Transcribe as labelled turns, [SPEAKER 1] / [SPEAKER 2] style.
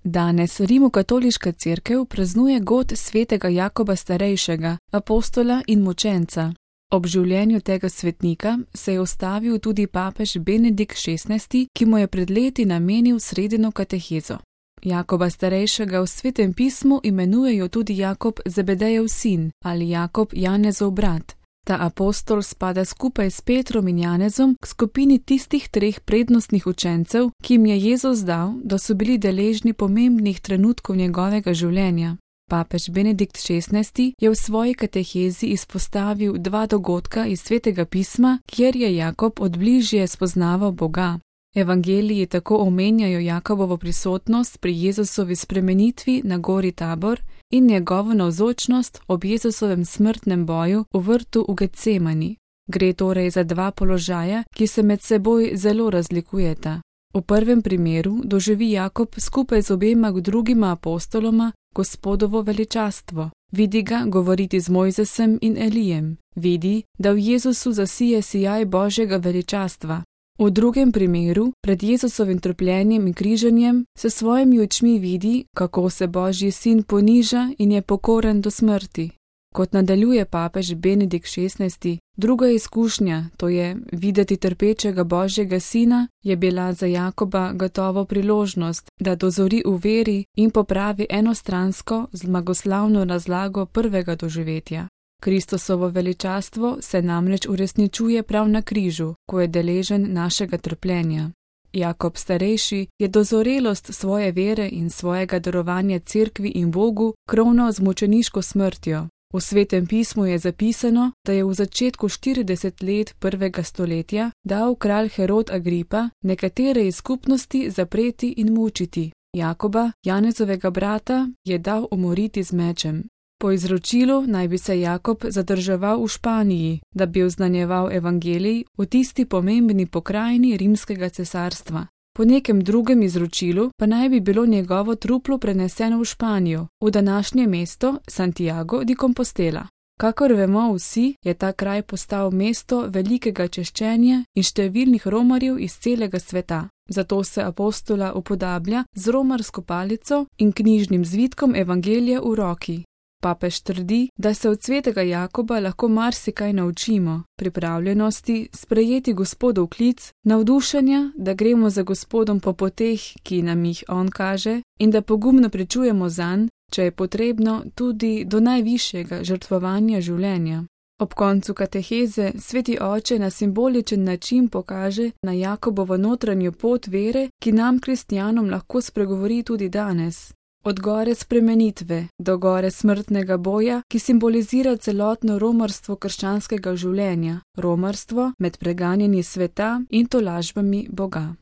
[SPEAKER 1] Danes Rimokatoliška cerkev praznuje god svetega Jakoba Starejšega, apostola in mučenca. Ob življenju tega svetnika se je ustavil tudi papež Benedikt XVI, ki mu je pred leti namenil sredino katehezo. Jakoba Starejšega v Svetem pismu imenujejo tudi Jakob Zebedejev sin ali Jakob Janezov brat. Ta apostol spada skupaj s Petrom in Janezom k skupini tistih treh prednostnih učencev, ki jim je Jezus dal, da so bili deležni pomembnih trenutkov njegovega življenja. Papež Benedikt XVI je v svoji katehezi izpostavil dva dogodka iz Svetega pisma, kjer je Jakob odbližje spoznaval Boga. Evangeliji tako omenjajo Jakobovo prisotnost pri Jezusovi spremenitvi na gori Tabor in njegovo navzočnost ob Jezusovem smrtnem boju v vrtu v Getsemani. Gre torej za dva položaja, ki se med seboj zelo razlikujeta. V prvem primeru doživi Jakob skupaj z obema drugima apostoloma Gospodovo veličastvo. Vidi ga govoriti z Mojzesem in Elijem. Vidi, da v Jezusu zasije sijaj Božjega veličastva. V drugem primeru, pred Jezusovim trpljenjem in križanjem, se svojimi očmi vidi, kako se Božji sin poniža in je pokoren do smrti. Kot nadaljuje papež Benedikt XVI, druga izkušnja, to je videti trpečega Božjega sina, je bila za Jakoba gotovo priložnost, da dozori v veri in popravi enostransko zmagoslavno razlago prvega doživetja. Kristusovo veličastvo se namreč uresničuje prav na križu, ko je deležen našega trpljenja. Jakob Starejši je dozorelost svoje vere in svojega darovanja cerkvi in Bogu kronal z mučeniško smrtjo. V Svetem pismu je zapisano, da je v začetku 40 let prvega stoletja dal kralj Herod Agripa nekatere iz skupnosti zapreti in mučiti. Jakoba, Janezovega brata, je dal umoriti z mečem. Po izročilu naj bi se Jakob zadrževal v Španiji, da bi oznanjeval evangelij v tisti pomembni pokrajini rimskega cesarstva. Po nekem drugem izročilu pa naj bi bilo njegovo truplo preneseno v Španijo, v današnje mesto Santiago de Compostela. Kakor vemo vsi, je ta kraj postal mesto velikega češčenja in številnih romarjev iz celega sveta. Zato se apostola upodablja z romarsko palico in knjižnim zvitkom evangelija v roki. Papež trdi, da se od svetega Jakoba lahko marsikaj naučimo, pripravljenosti sprejeti Gospodov klic, navdušenja, da gremo za Gospodom po poteh, ki nam jih on kaže, in da pogumno pričujemo zanj, če je potrebno, tudi do najvišjega žrtvovanja življenja. Ob koncu kateheze sveti oče na simboličen način pokaže na Jakobovo notranjo pot vere, ki nam kristjanom lahko spregovori tudi danes. Od gore spremenitve do gore smrtnega boja, ki simbolizira celotno romarstvo krščanskega življenja, romarstvo med preganjanji sveta in tolažbami Boga.